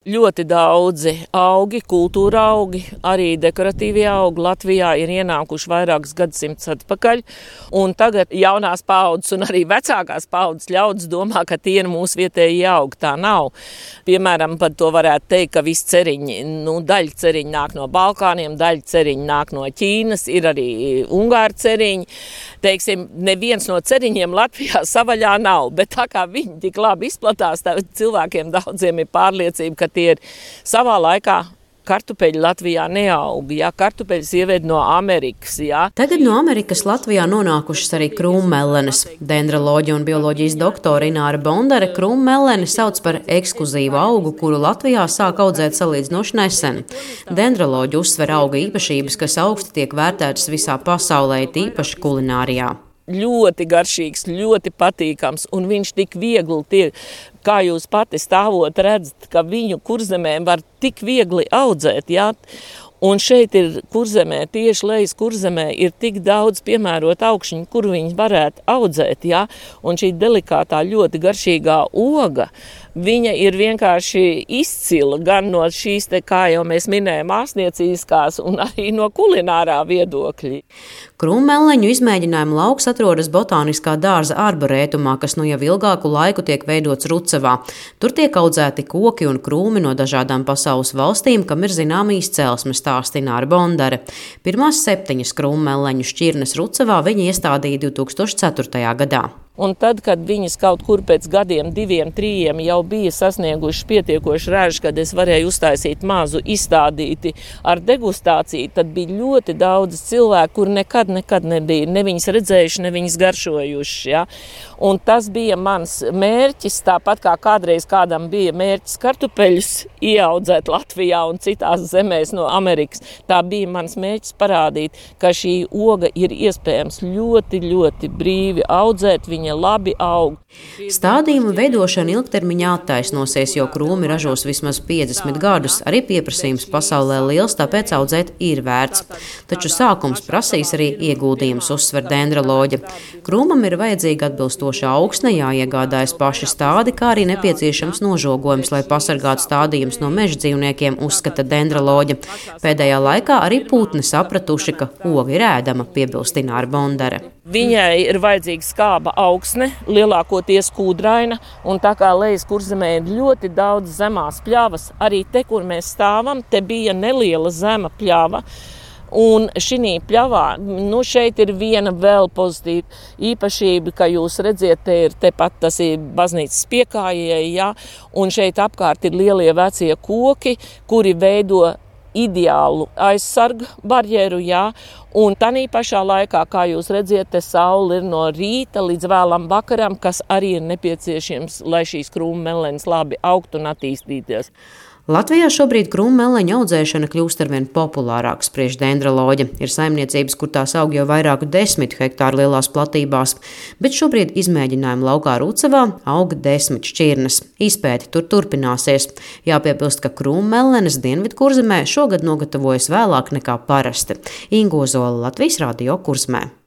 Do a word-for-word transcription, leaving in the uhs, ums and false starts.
Ļoti daudzi augi, kultūra augi, arī dekoratīvie augi Latvijā ir ienākuši vairākus gadsimtus atpakaļ. Un tagad jaunās paaudzes un arī vecākās paaudzes ļaudis domā, ka tie ir mūsu vietējie augi. Tā nav. Piemēram, par to varētu teikt, ka visi ceriņi, nu, daļa ceriņi nāk no Balkāniem, daļa ceriņi nāk no Ķīnas, ir arī ungāru ceriņi. Teiksim, neviens no ceriņiem Latvijā savaļā nav, bet tā kā viņi tik labi izplatās, tā cilvēkiem daudziem ir pārliecība, ka tie ir savā laikā kartupeļi Latvijā neaug, ja kartupeļus ieved no Amerikas. Ja. Tagad no Amerikas Latvijā nonākušas arī krūmmellenes. Dendroloģija un bioloģijas doktora Ināra Bondare krūmmelleni sauc par ekskluzīvu augu, kuru Latvijā sāk audzēt salīdzinoši nesen. Dendroloģi uzsver auga īpašības, kas augsti tiek vērtētas visā pasaulē, tīpaši kulinārijā. Ļoti garšīgs, ļoti patīkams, un viņš tik viegli tiek, kā jūs pati stāvot redzat, ka viņu Kurzemē var tik viegli audzēt, jā. Un šeit ir Kurzemē, tieši lejas Kurzemē, ir tik daudz piemērot augšņu, kur viņi varētu audzēt, jā. Un šī delikātā, ļoti garšīgā oga, viņa ir vienkārši izcila gan no šīs, te, kā jau mēs minējam, ārstniecīskās un arī no kulinārā viedokļa. Krūmmelleņu izmēģinājumu lauks atrodas Botāniskā dārza arborētumā, kas nu jau ilgāku laiku tiek veidots Rucavā. Tur tiek audzēti koki un krūmi no dažādām pasaules valstīm, kam ir zinām izcelsme, stāsta Ināra Bondare. Pirmās septiņas krūmmelleņu šķirnes Rucavā viņi iestādīja divi tūkstoši ceturtajā gadā. Un tad, kad viņas kaut kur pēc gadiem, diviem, trījiem jau bija sasnieguši pietiekoši ražu, kad es varēju uztaisīt mazu izstādīti ar degustāciju, tad bija ļoti daudz cilvēku, kur nekad, nekad nebija ne viņas redzējuši, ne viņas garšojuši. Ja? Un tas bija mans mērķis, tāpat kā kādreiz kādam bija mērķis kartupeļus ieaudzēt Latvijā un citās zemēs no Amerikas. Tā bija mans mērķis parādīt, ka šī oga ir iespējams ļoti, ļoti brīvi audzēt, viņa labi aug. Stādījuma veidošana ilgtermiņā attaisnosies, jo krūmi ražos vismaz piecdesmit gadus. Arī pieprasījums pasaulē liels, tāpēc audzēt ir vērts. Taču sākums prasīs arī ieguldījums, uzsver dendroloģe. Krūmam ir vajadzīga atbilstoša augsne, jāiegādājas paši stádi, kā arī nepieciešams nožogojums, lai pasargātu stādījumus no meža dzīvniekiem, uzskata dendroloģe. Pēdējā laikā arī putni sapratuši, ka oga ir ēdama, piebilst Ināra Bondare. Viņai ir vajadzīga skāba augsne, lielākoties kūdraina, un tā kā lejas Kurzemē ir ļoti daudz zemās pļavas, arī te, kur mēs stāvam, te bija neliela zema pļava. Un šī pļavā, nu šeit ir viena vēl pozitīva īpašība, ka jūs redziet, te ir tepat tas ir baznīcas piekājēji, ja, un šeit apkārt ir lielie vecie koki, kuri veido ideālu aizsargu barjeru, jā, un tanī pašā laikā, kā jūs redziet, te saule ir no rīta līdz vēlam vakaram, kas arī ir nepieciešams, lai šīs krūmmellenes labi augtu un attīstīties. Latvijā šobrīd krūmmelleņu audzēšana kļūst arvien populārāka, spriež dendroloģe. Ir saimniecības, kur tās aug jau vairāku desmit hektāru lielās platībās, bet šobrīd izmēģinājumu laukā Rucavā auga desmit šķirnes. Izpēti tur turpināsies. Jāpiebilst, ka krūmmellenes Dienvidkurzemē šogad nogatavojas vēlāk nekā parasti. Inga Ozola, Latvijas radio Kurzemē.